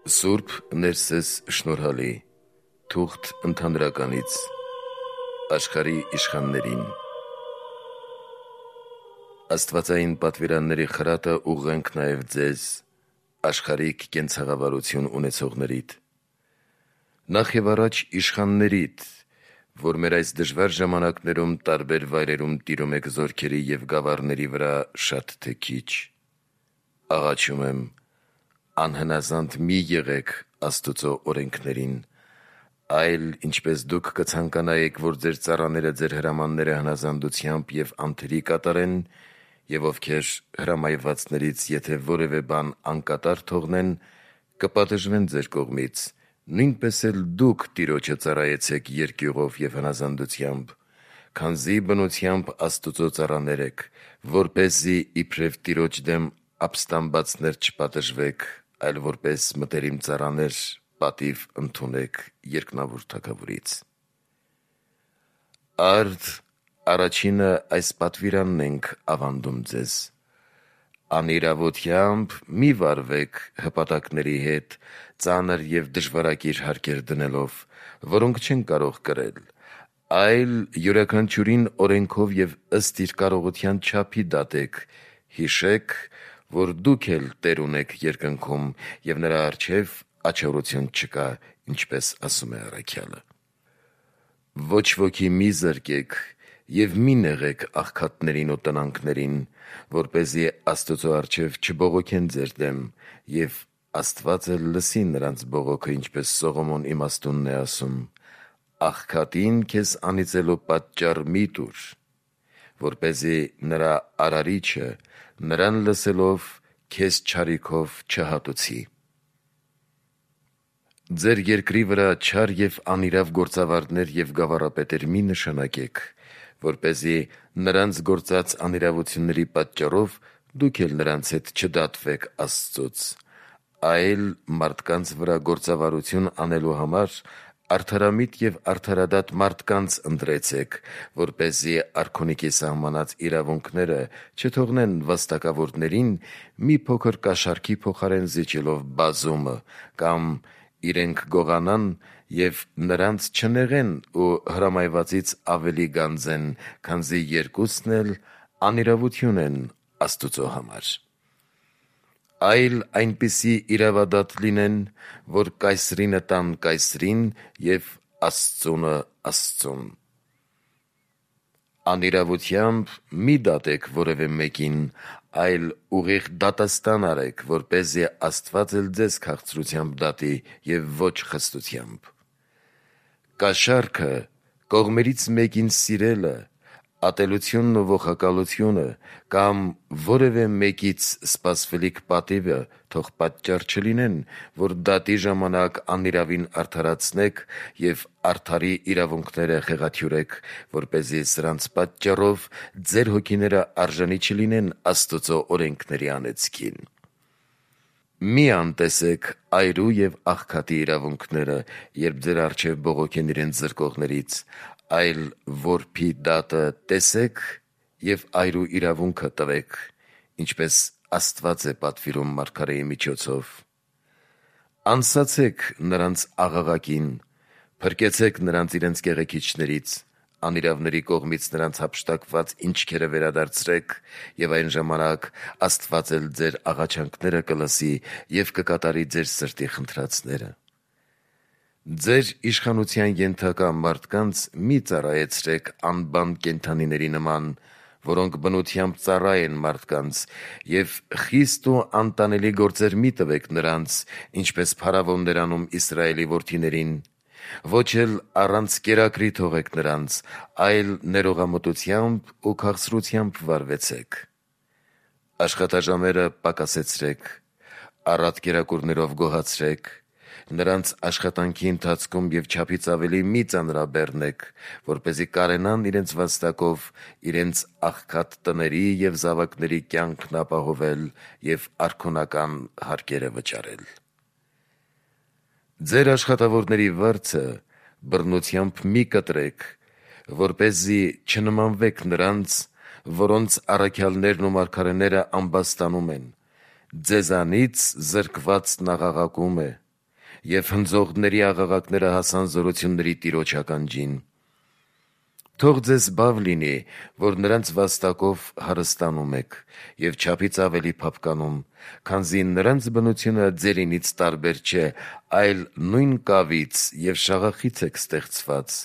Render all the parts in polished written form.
Սուրբ Ներսես շնորհալի, թուղթ ընդհանրականից, աշխարհի իշխաններին։ Աստվածային պատվիրանների խրատը ուղղենք նաև ձեզ, աշխարհիկ կենցաղավարություն ունեցողներիդ։ Նախ եւ առաջ իշխաններիդ, որ մեր այս դժվար ժամանակներում տարբեր վայրերում տիրում եք զորքերի եւ գավառների վրա շատ թե քիչ։ Աղաչում եմ, անհնազանդ մի եղեք Աստուծո օրենքներին, այլ ինչպես դուք կցանկանայիք, որ ձեր ծառաները ձեր հրամանները հնազանդությամբ եւ անթերի կատարեն, եւ ովքեր հրամայվածներից եթե որևէ բան անկատար թողնեն, կպատժվեն ձեր կողմից, նույնպես էլ դուք Տիրոջը ծառայեցեք երկյուղով եւ հնազանդությամբ, քանզի բնությամբ Աստուծո ծառաներ եք, որպեսզի իբրև Տիրոջ դեմ ապստամբածներ չպատժվեք, այլ որպես մտերիմ ծառաներ պատիվ ընդունեք երկնավոր Թագավորից։ Արդ առաջինը այս պատվիրանն ենք ավանդում ձեզ. անիրավությամբ մի վարվեք հպատակների հետ, ծանր եւ դժվարակիր հարկեր դնելով, որոնք չեն կարող կրել, այլ յուրաքանչյուրին օրենքով եւ ըստ իր կարողության չափի դատեք, հիշեք, որ դուք էլ Տեր ունեք երկնքում եւ նրա առջեւ աջակցություն չկա, ինչպես ասում է առաքյալը։ Ոչ ոքի մի զրկեք եւ մի նեղեք աղքատներին ու տնանքներին, որպեսզի Աստծո առջեւ չբողոքեն ձեր դեմ, եւ Աստված էլ լսի նրանց բողոքը, ինչպես Սողոմոն իմաստունն է ասում. աղքատին քեզ անիծելու պատճառ մի տուր, որպեսզի նրա արարիչը նրան լսելով քեզ չարիքով չհատուցի։ Ձեր երկրի վրա չար եւ անիրավ գործավարներ եւ գավառապետեր մի նշանակեք, որպեսզի նրանց գործած անիրավությունների պատճառով դուք էլ նրանց հետ չդատվեք Աստծուց, այլ մարդկանց վրա գործավարություն անելու համար արդարամիտ եւ արդարադատ մարդկանց ընտրեցեք, որպեսզի արքունիքի սահմանած իրավունքները չթողնեն վաստակավորներին մի փոքր կաշառքի փոխարեն զիջելով բազումը, կամ իրենք գողանան եւ նրանց չնեղեն ու հրամայվածից ավելի գանձեն, քանզի երկուսն էլ անիրավություն են Աստուծո համար։ Այլ այնպիսի իրավադատ լինեն, որ կայսրինը տան կայսրին եւ Աստծունը Աստծուն։ Անիրավությամբ մի դատեք որևէ մեկին, այլ ուղիղ դատաստան արեք, որպեսզի Աստված էլ ձեզ քաղցրությամբ դատի եւ ոչ խստությամբ։ Կաշառքը կողմերից մեկին սիրելը, ատելությունն ու ողակալությունը կամ որևէ մեկից սպասվելիք պատիվը թող պատճառ չլինեն, որ դատի ժամանակ անիրավին արդարացնեք եւ արդարի իրավունքները խեղաթյուրեք, որպեսզի սրանց պատճառով ձեր հոգիները արժանի չլինեն Աստծո օրենքների անեծքին։ Մի անտեսեք այրու եւ աղքատի իրավունքները, երբ ձեր առջեւ բողոքեն իրենց զրկողներից, այլ որբի դատը տեսեք եւ այրու իրավունքը տվեք, ինչպես Աստված է պատվիրում մարգարեի միջոցով։ Անսացեք նրանց աղաղակին, փրկեցեք նրանց իրենց կեղեքիչներից, անիրավների կողմից նրանց հափշտակված ինչքերը վերադարձրեք, եւ այն ժամանակ Աստված էլ ձեր աղաչանքները կլսի եւ կկատարի ձեր սրտի խնդրածները։ Ձեր իշխանության ենթակա մարդկանց մի ծառայեցրեք անբան կենդանիների նման, որոնք բնությամբ ծառա են մարդկանց, եւ խիստ ու անտանելի գործեր մի տվեք նրանց, ինչպես փարավոններ անում Իսրայելի որդիներին, ոչ էլ առանց կերակրի թողեք նրանց, այլ ներողամտությամբ ու քաղցրությամբ վարվեցեք։ Աշխատաժամերը պակասեցրեք, առատ կերակուրներով գոհացրեք, նրանց աշխատանքի ընթացքում եւ չափից ավելի մի ծանրաբեռնեք, որպեսզի կարենան իրենց վաստակով իրենց աղքատ տների եւ զավակների կյանքն ապահովել եւ արքունական հարկերը վճարել։ Ձեր աշխատավորների վարձը բռնությամբ մի կտրեք, որպեսզի չնմանվեք նրանց, որոնց առաքյալներն ու մարգարեները ամբաստանում են, ձեզանից զրկվածն աղաղակում է, և հնձողների աղաղակները հասան զորությունների Տիրոջ ականջին։ Թող ձեզ բավ լինի, որ նրանց վաստակով հարստանում եք և չափից ավելի փափկանում, քանզի նրանց բնությունը ձերինից տարբեր չէ, այլ նույն կավից և շաղախից եք ստեղծված,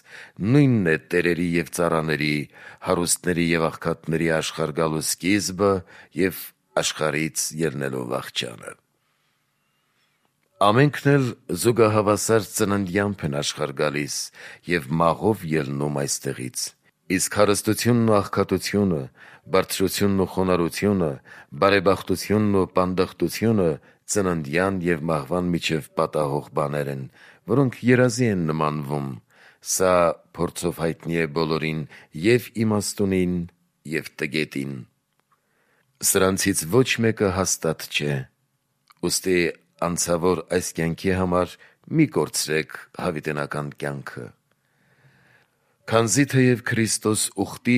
նույնն է տերերի և ծառաների, հարուստների և աղքատների աշխարհ գալու սկիզբը և աշխարհից ելնելով վախճանը։ Ամենքն էլ զուգահավասար ծննդյամբ են աշխարհ գալիս և մաղով ելնում այստեղից։ Իսկ հարստությունն ու աղքատությունը, բարձրությունն ու խոնարհությունը, բարեբախտությունն ու պանդխտությունը ծննդյան և մահվան միջև պատահող բաներ են, որոնք երազի են նմանվում։ Սա փորձով հայտնի է բոլորին, և իմաստունին, և տգետին։ Սրանցից ոչ մեկը հաստատ չէ։ Ուստի անցավոր այս կյանքի համար մի կորցրեք հավիտենական կյանքը։ Քանզի թեև Քրիստոս ուխտի,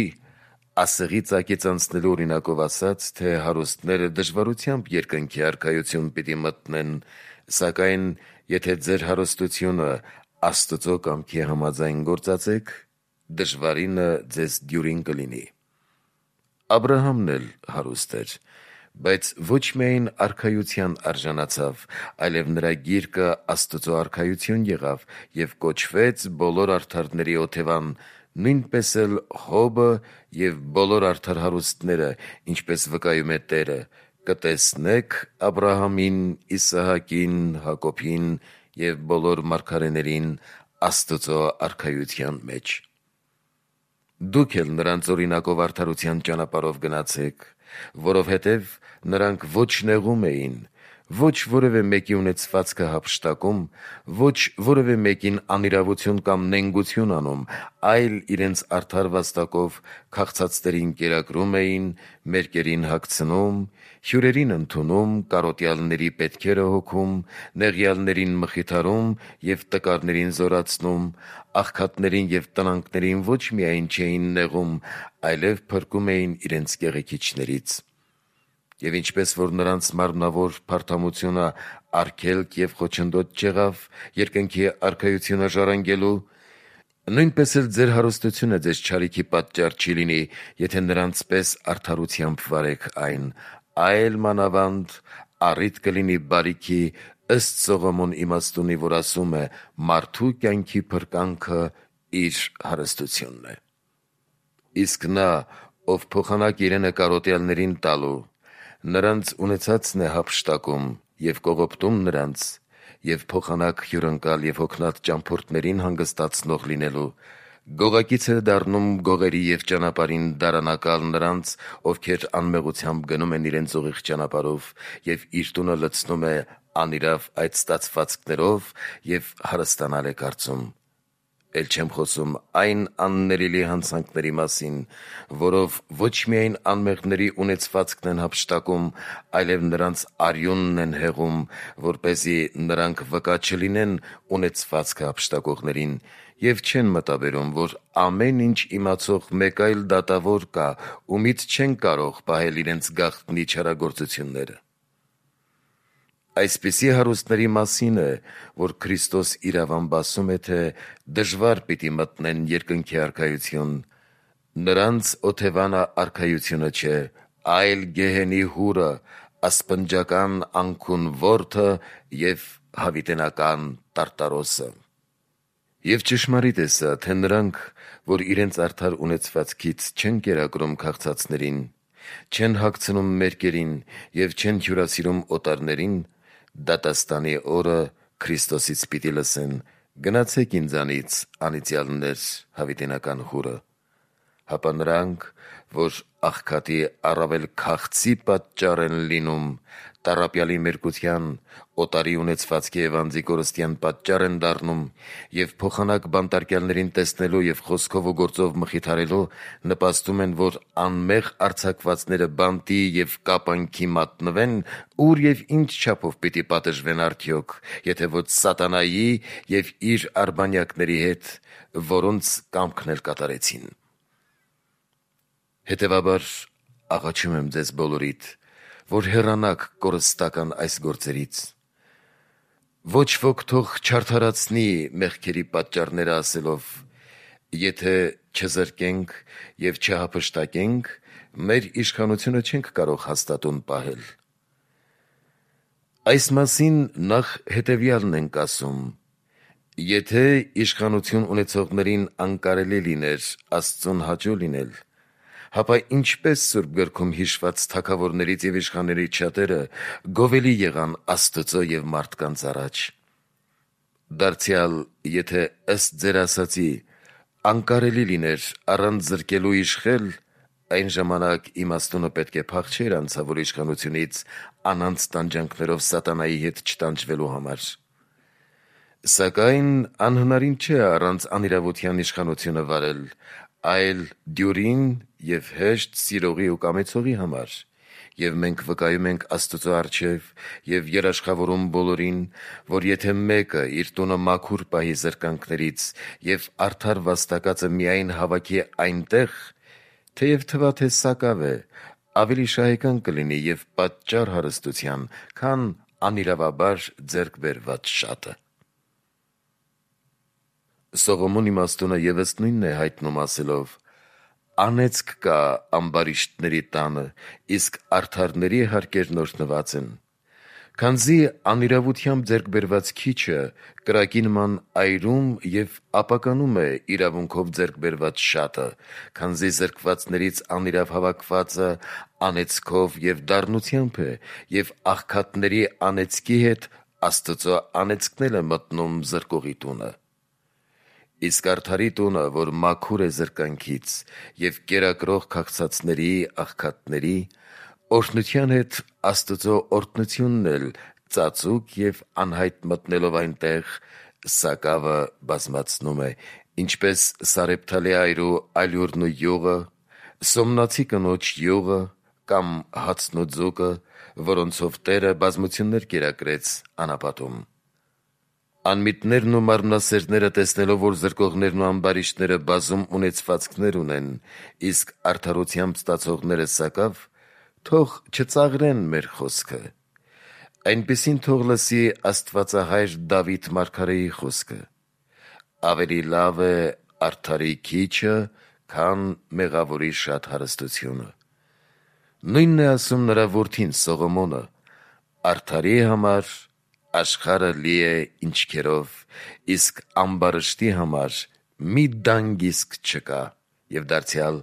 ասեղի ծակից անցնելու օրինակով ասաց, թե հարուստները դժվարությամբ երկնքի արքայություն պիտի մտնեն, սակայն եթե ձեր հարստությունը Աստծո կամքի համաձայն գործածեք, դժվարինը ձեզ դյուրին կլինի։ Աբրահամն էլ հարուստ էր, բայց ոչ միայն արքայության արժանացավ, այլև նրա գիրկը Աստծո արքայություն եղավ և կոչվեց բոլոր արդարների օթևան, նույնպես էլ Հոբը և բոլոր արդար հարուստները, ինչպես վկայում է Տերը. «Կտեսնեք Աբրահամին, Իսահակին, Հակոբին և բոլոր մարգարեներին Աստծո արքայության մեջ»։ Դուք էլ նրանց օրինակով արդարության ճանապարհով գնացեք, որովհետև նրանք ոչ նեղում էին, ոչ որևէ մեկի ունեցվածքը հափշտակում, ոչ որևէ մեկին անիրավություն կամ նենգություն անում, այլ իրենց արդար վաստակով քաղցածներին կերակրում էին, մերկերին հագցնում, հյուրերին ընդունում, կարոտյալների պետքերը հոգում, նեղյալներին մխիթարում և տկարներին զորացնում, աղքատներին և տնանկներին ոչ միայն չէին նեղում, այլև փրկում էին իրենց կեղեքիչներից։ Եվ ինչպես որ նրանց մարմնավոր փարթամությունը արգելք և խոչընդոտ չեղավ երկնքի արքայությունը ժառանգելու, նույնպես էլ ձեր հարստությունը ձեզ չարիքի պատճառ չի լինի, եթե նրանց պես արդարությամբ վարեք այն, այլ մանավանդ առիթ կլինի բարիքի, ըստ Սողոմոն իմաստունի, որ ասում է. «Մարդու կյանքի փրկանքը իր հարստությունն է»։ Իսկ նա, ով փոխանակ իրենը կարոտյալներին տալու, նրանց ունեցածն է հափշտակում և կողոպտում նրանց, և փոխանակ հյուրընկալ և հոգնած ճամփորդներին հանգստացնող լինելու, գողակից է դառնում գողերի և ճանապարհին դարանակալ նրանց, ովքեր անմեղությամբ գնում են իրենց ուղիղ ճանապարհով, և իր տունը լցնում է անիրավ այդ ստացվածքներով և հարստանալ է կարծում։ Էլ չեմ խոսում այն աններելի հանցանքների մասին, որով ոչ միայն անմեղների ունեցվածքն են հափշտակում, այլև նրանց արյունն են հեղում, որպեսզի նրանք վկա չլինեն ունեցվածքը հափշտակողներին, և չեն մտաբերում, որ ամեն ինչ իմացող մեկ այլ դատավոր կա, ումից չեն կարող պահել իրենց գաղտնի չարագործությունները։ Այսպիսի հարուստների մասին է, որ Քրիստոս իրավամբ ասում է, թե դժվար պիտի մտնեն երկնքի արքայություն։ Նրանց օթևանը արքայությունը չէ, այլ գեհենի հուրը, ասպնջական անքուն որդը և հավիտենական տարտարոսը։ Եվ ճշմարիտ է սա, թե նրանք, որ իրենց արդար ունեցվածքից չեն կերակրում քաղցածներին, չեն հագցնում մերկերին և չեն հյուրասիրում օտարներին, դատաստանի օրը Քրիստոսից պիտի լսեն. «Գնացեք ինձանից, անիծյալներ, հավիտենական հուրը»։ Հապա նրանք, որ աղքատի առավել քաղցի պատճառ են լինում, տառապյալի մերկության, օտարի ունեցվածքի և անձի կորստյան պատճառ են դառնում և փոխանակ բանտարկյալներին տեսնելու և խոսքով ու գործով մխիթարելու նպաստում են, որ անմեղ արձակվածները բանտի և կապանքի մատնվեն, ուր և ինչ չափով պիտի պատժվեն արդյոք, եթե ոչ սատանայի և իր արբանյակների հետ, որոնց կամքն էլ կատարեցին։ Հետևաբար աղաչում եմ ձեզ բոլորիդ, որ հեռանաք կորստական այս գործերից։ Ոչ ոք թող չարդարացնի մեղքերի պատճառները ասելով. եթե չզրկենք եւ չհափշտակենք, մեր իշխանությունը չենք կարող հաստատուն պահել։ Այս մասին նախ հետևյալն ենք ասում. եթե իշխանություն ունեցողներին անկարելի լիներ Աստծուն հաճո լինել, հապա ինչպես Սուրբ գրքում հիշված թագավորներից եւ իշխաններից շատերը գովելի եղան Աստծո եւ մարդկանց առաջ։ Դարձյալ, եթե ըստ ձեր ասացի անկարելի լիներ առանց զրկելու իշխել, այն ժամանակ իմաստունը պետք է փախչեր անցավոր իշխանությունից անանց տանջանքներով սատանայի հետ չտանջվելու համար։ Սակայն անհնարին չէ առանց անիրավության իշխանությունը վարել, այլ դյուրին եւ հեշտ սիրողի ու կամեցողի համար, եւ մենք վկայում ենք Աստծո առջև եւ երաշխավորում բոլորին, որ եթե մեկը իր տունը մաքուր պահի զրկանքներից եւ արդար վաստակածը միայն հավաքի այնտեղ, թեև թվա թե սակավ է, ավելի շահեկան կլինի եւ պատճառ հարստության, քան անիրավաբար ձեռք բերված շատը։ Սողոմոն իմաստունը եւս նույնն է հայտնում ասելով. անեծք կա ամբարիշտների տանը, իսկ արդարների հարկերն օրհնված են։ Քանզի անիրավությամբ ձեռք բերված քիչը կրակի նման այրում եւ ապականում է իրավունքով ձեռք բերված շատը, քանզի զրկվածներից անիրավ հավաքվածը անեծքով եւ դառնությամբ է, եւ աղքատների անեծքի հետ Աստծո անեծքն է մտնում զրկողի տունը։ Իսկ արդարի տունը, որ մաքուր է զրկանքից եւ կերակրող քաղցածների, աղքատների, օրհնության հետ Աստծո օրհնությունն էլ ծածուկ եւ անհայտ մտնելով այնտեղ, սակավը բազմացնում է, ինչպես Սարեփթալի այրու ալյուրն ու յուղը, սոմնացի կնոջ յուղը կամ հացն ու ձուկը, որոնցով Տերը բազմություններ կերակրեց անապատում։ Անմիտներն ու մարմնասերները տեսնելով, որ զրկողներն ու ամբարիշտները բազում ունեցվածքներ ունեն, իսկ արդարությամբ ստացողները սակավ, թող չծաղրեն մեր խոսքը։ Այնպիսին թող լսի Աստվածահայր Դավիթ մարգարեի խոսքը. ավելի լավ է արդարի քիչը, քան մեղավորի շատ հարստությունը։ Նույնն է ասում նրա որդին Սողոմոնը. արդարի համար աշխարհը լի է ինչքերով, իսկ ամբարշտի համար մի դանգ իսկ չկա, եւ դարձյալ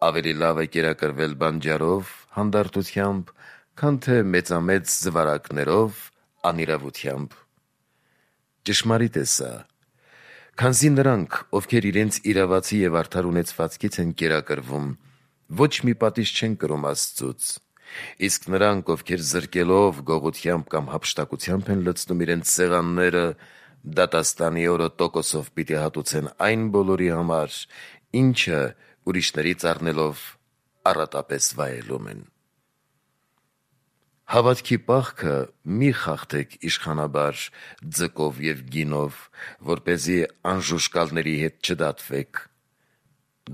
ավելի լավ է կերակրվել բանջարով հանդարտությամբ, քան թե մեծամեծ զվարակներով անիրավությամբ։ Ճշմարիտ է սա, քանզի նրանք, ովքեր իրենց իրավացի եւ արդար ունեցվածքից են կերակրվում, ոչ մի պատիժ չեն կրում Աստծուց, իսկ նրանք, ովքեր զրկելով, գողությամբ կամ հափշտակությամբ են լցնում իրենց սեղանները, դատաստանի օրը տոկոսով պիտի հատուցեն այն բոլորի համար, ինչը ուրիշներից առնելով առատապես վայելում են։ Հավատքի պահքը մի խախտեք իշխանաբար ձկով եւ գինով, որպեսզի անժուշկալների հետ չդատվեք։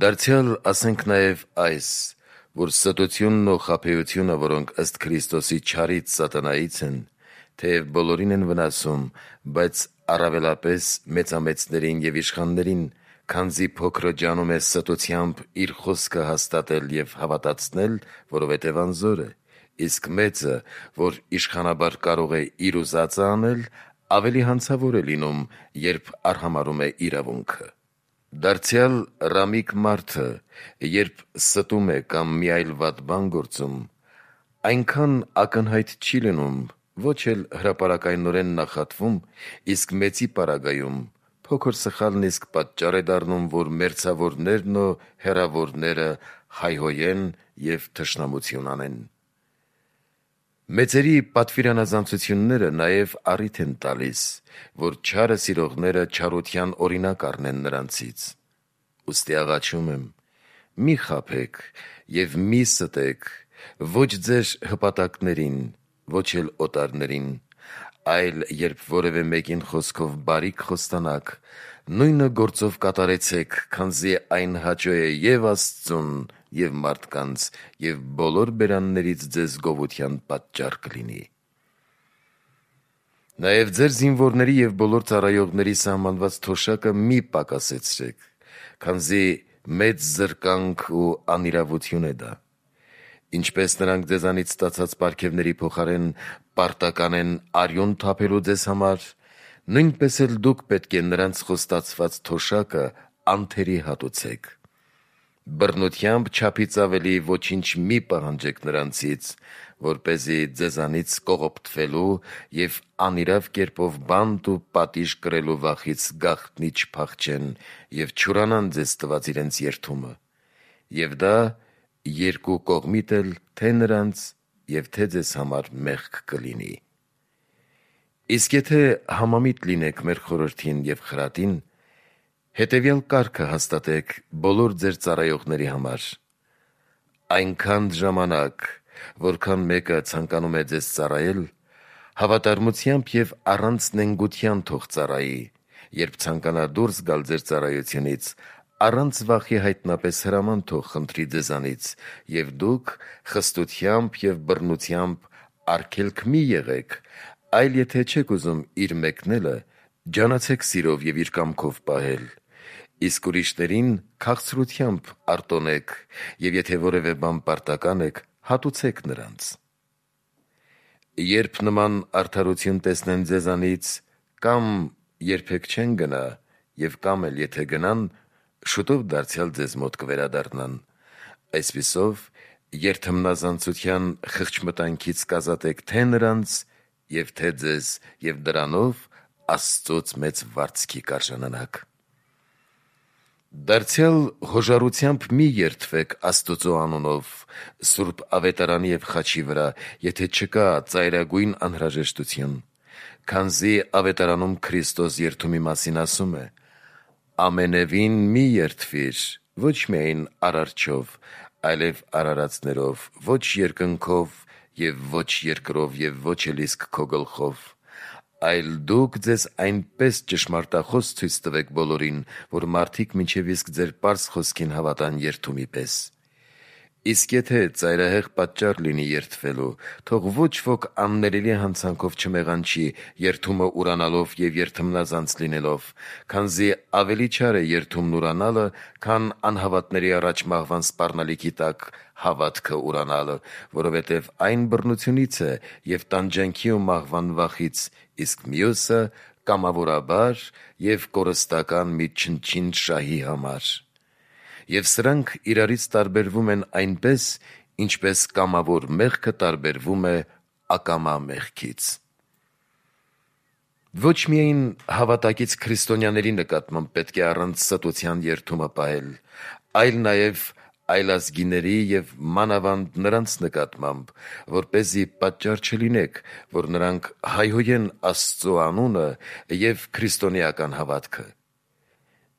Դարձյալ ասենք նաեւ այս, որ ստությունն ու խաբեությունը, որոնք ըստ Քրիստոսի չարից սատանայից են, թեև բոլորին են վնասում, բայց առավելապես մեծամեծներին եւ իշխաններին, քանզի փոքրը ջանում է ստությամբ իր խոսքը հաստատել եւ հավատացնել, որովհետեւ անզոր է, իսկ մեծը, որ իշխանաբար կարող է իր ուզածը անել, ավելի հանցավոր է լինում, երբ արհամարհում է իրավունքը։ Դարձյալ ռամիկ մարդը, երբ ստում է կամ մի այլ վատ բան գործում, այնքան ակնհայտ չի լինում, ոչ էլ հրապարակայնորեն նախատվում, իսկ մեծի պարագայում փոքր սխալն իսկ պատճառ է դառնում, որ մերձավորներն ու հեռավորները հայհոյեն եւ թշնամություն անեն։ Մեծերի պատվիրանազանցությունները նաև առիթ են տալիս, որ չարը սիրողները չարության օրինակ առնեն նրանցից։ Ուստի աղաչում եմ, մի խաբեք եւ մի ստեք, ոչ ձեր հպատակներին, ոչ էլ օտարներին, այլ երբ որևէ մեկին խոսքով բարիք խոստանաք, նույնը գործով կատարեցեք, քանզի այն հաճո է եւ Աստծուն, եւ մարդկանց, եւ բոլոր բերաններից ձեզ գովության պատճառ կլինի։ Նաև ձեր զինվորների և բոլոր ծառայողների սահմանված թոշակը մի պակասեցրեք, քանզի մեծ զրկանք ու անիրավություն է դա։ Ինչպես նրանք ձեզանից ստացած պարգևների փոխարեն պարտական են արյուն թափելու ձեզ համար, նույնպես էլ դուք պետք է նրանց խոստացված թոշակը անթերի հատուցեք։ Բռնությամբ չափից ավելի ոչինչ մի պահանջեք նրանցից, որպեսզի ձեզանից կողոպտվելու և անիրավ կերպով բանտ ու պատիժ կրելու վախից գաղտնի չփախչեն և չուրանան ձեզ տված իրենց երդումը, և դա երկու կողմիդ էլ թե նրանց և թե ձեզ համար մեղք կլինի։ Իսկ եթե համամիտ լինեք մեր խորհրդին և խրատին, հետևյալ կարգը հաստատեք բոլոր ձեր ծառայողների համար. այնքան ժամանակ, որքան մեկը ցանկանում է ձեզ ծառայել, հավատարմությամբ և առանց նենգության թող ծառայի, երբ ցանկանա դուրս գալ ձեր ծառայությունից, առանց վախի հայտնապես հրաման թող խնդրի ձեզանից, և դուք խստությամբ և բռնությամբ արգելք մի եղեք, այլ եթե չեք ուզում իր մեկնելը, ջանացեք սիրով և իր կամքով պահել, իսկ ուրիշներին քաղցրությամբ արտոնեք, և եթե որևէ բան պարտական եք, հատուցեք նրանց։ Երբ նման արդարություն տեսնեն ձեզանից, կամ երբեք չեն գնա, և կամ էլ եթե գնան, շուտով դարձյալ ձեզ մոտ կվերադառնան, այսպիսով երդմնազանցության խղճմտանքից կազատեք թե նրանց և թե ձեզ, և դրանով Աստծուց մեծ վարձքի կարժանանաք։ Դարձյալ հոժարությամբ մի երդվեք Աստուծո անունով Սուրբ Ավետարանի և խաչի վրա, եթե չկա ծայրագույն անհրաժեշտություն, քանզի Ավետարանում Քրիստոս երդումի մասին ասում է. «Ամենևին մի երդվիր, ոչ միայն արարչով, այլև արարածներով, ոչ երկնքով և ոչ երկրով և ոչ էլ իսկ քո գլխով, այլ դուք ձեզ այնպես ճշմարտախոս ցույց տվեք բոլորին, որ մարդիկ մինչև իսկ ձեր պարզ խոսքին հավատան երդումի պես։ Իսկ եթե ծայրահեղ պատճառ լինի երդվելու, թող ոչ ոք աններելի հանցանքով չմեղանչի երդումը ուրանալով և երդմնազանց լինելով, քանզի ավելի չար է երդումն ուրանալը, քան անհավատների առաջ մահվան սպառնալիքի տակ հավատքը ուրանալը, որովհետև այն բռնությունից է և տանջանքի ու մահվան վախից, իսկ մյուսը կամավորաբար և կորստական մի չնչին շահի համար։ Եվ սրանք իրարից տարբերվում են այնպես, ինչպես կամավոր մեղքը տարբերվում է ակամա մեղքից»։ Ոչ միայն հավատակից քրիստոնյաների նկատմամբ պետք է առանց ստության երդումը պահել, այլ նաև այլազգիների և մանավանդ նրանց նկատմամբ, որպեսզի պատճառ չլինեք, որ նրանք հայհոյեն Աստծո անունը և քրիստոնեական հավատքը։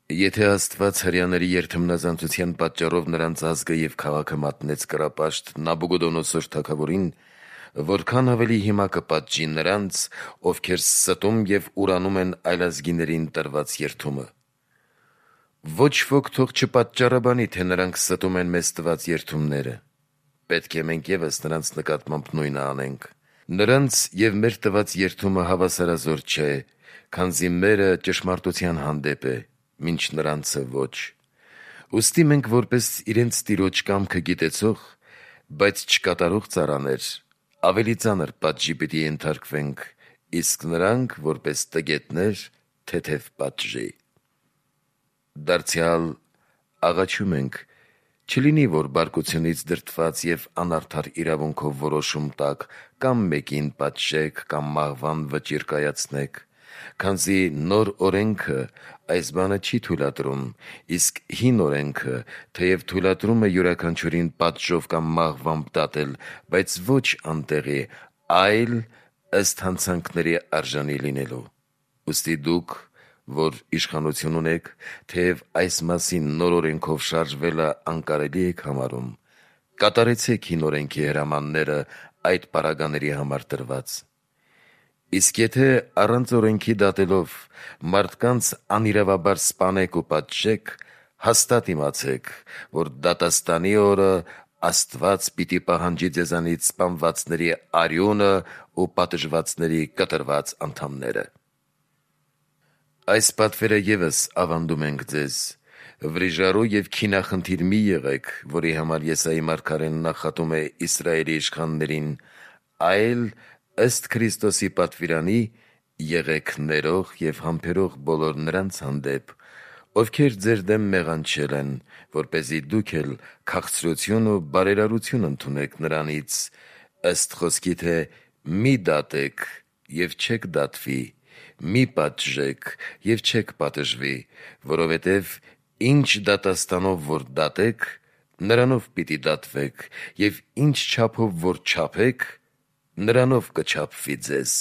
Եթե Աստված հրեաների երդմնազանցության պատճառով նրանց ազգը և քաղաքը մատնեց կռապաշտ Նաբուգոդոնոսոր թագավորին, որքան ավելի հիմա կպատժի նրանց, ովքեր ստում և ուրանում են այլազգիներին տրված երդումը։ Ոչ ոք թող չպատճառաբանի, թե նրանք ստում են մեզ տված երդումները։ Պետք է մենք ևս նրանց նկատմամբ նույնը անենք։ Նրանց և մեր տված երդումը հավասարազոր չէ, քանզի մերը ճշմարտության հանդեպ է, մինչ նրանցը ոչ։ Ուստի մենք որպես իրենց տիրոջ կամքը գիտեցող, բայց չկատարող ծառաներ, ավելի ծանր պատժի պիտի ենթարկվենք, իսկ նրանք որպես տգետներ՝ թեթև պատժի։ Դարձյալ աղաչում ենք, չլինի, որ բարկությունից դրդված և անարդար իրավունքով որոշում տաք, կամ մեկին պատժեք, կամ մահվան վճիռ կայացնեք, քանզի նոր օրենքը այս բանը չի թույլատրում, իսկ հին օրենքը թեև թույլատրում է յուրաքանչյուրին պատժով կամ մահվամբ դատել, բայց ոչ անտեղի, այլ ըստ հանցանքների արժանի լինելու։ Ուստի դուք, որ իշխանություն ունեք, թեև այս մասին նոր օրենքով շարժվելը անկարելի եք համարում, կատարեցեք հին օրենքի հրամանները այդ պարագաների համար տրված։ Իսկ եթե առանց օրենքի դատելով մարդկանց անիրավաբար սպանեք ու պատժեք, հաստատ իմացեք, որ դատաստանի օրը Աստված պիտի պահանջի ձեզանից սպանվածների արյունը ու պատժվածների կտրված անդամները։ Այս պատվերը ևս ավանդում ենք ձեզ. վրիժառու և քինախնդիր մի եղեք, որի համար Եսայի մարգարեն նախատում է Իսրայելի իշխաններին, այլ ըստ Քրիստոսի պատվիրանի եղեք ներող և համբերող բոլոր նրանց հանդեպ, ովքեր ձեր դեմ մեղանչել են, որպեսզի դուք էլ քաղցրություն ու բարերարություն ընդունեք նրանից, ըստ խոսքի, թե մի դատեք և չեք դատվի, մի պատժեք և չեք պատժվի, որովհետև ինչ դատաստանով որ դատեք, նրանով պիտի դատվեք, և ինչ չափով որ չափեք, նրանով կչափվի ձեզ։